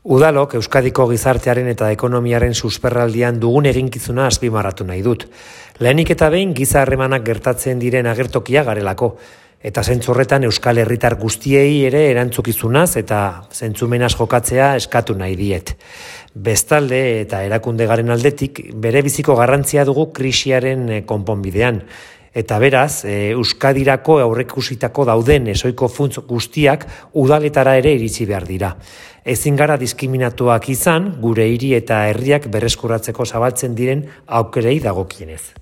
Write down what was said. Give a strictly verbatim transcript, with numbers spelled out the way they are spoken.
Udalok Euskadiko gizartearen eta ekonomiaren susperraldian dugun eginkizuna azpimarratu nahi dut. Lehenik eta behin giza harremanak gertatzen diren agertokia garelako, eta zentzu horretan Euskal Herritar guztiei ere erantzukizunaz eta zentzumenaz jokatzea eskatu nahi diet. Bestalde eta erakunde garen aldetik bere biziko garrantzia dugu krisiaren konponbidean. Eta beraz, e, Euskadirako aurreikusitako dauden ezoiko funtz guztiak udaletara ere iritsi behar dira. Ezin gara diskriminatuak izan, gure hiri eta herriak berreskuratzeko zabaltzen diren aukerei dagokienez.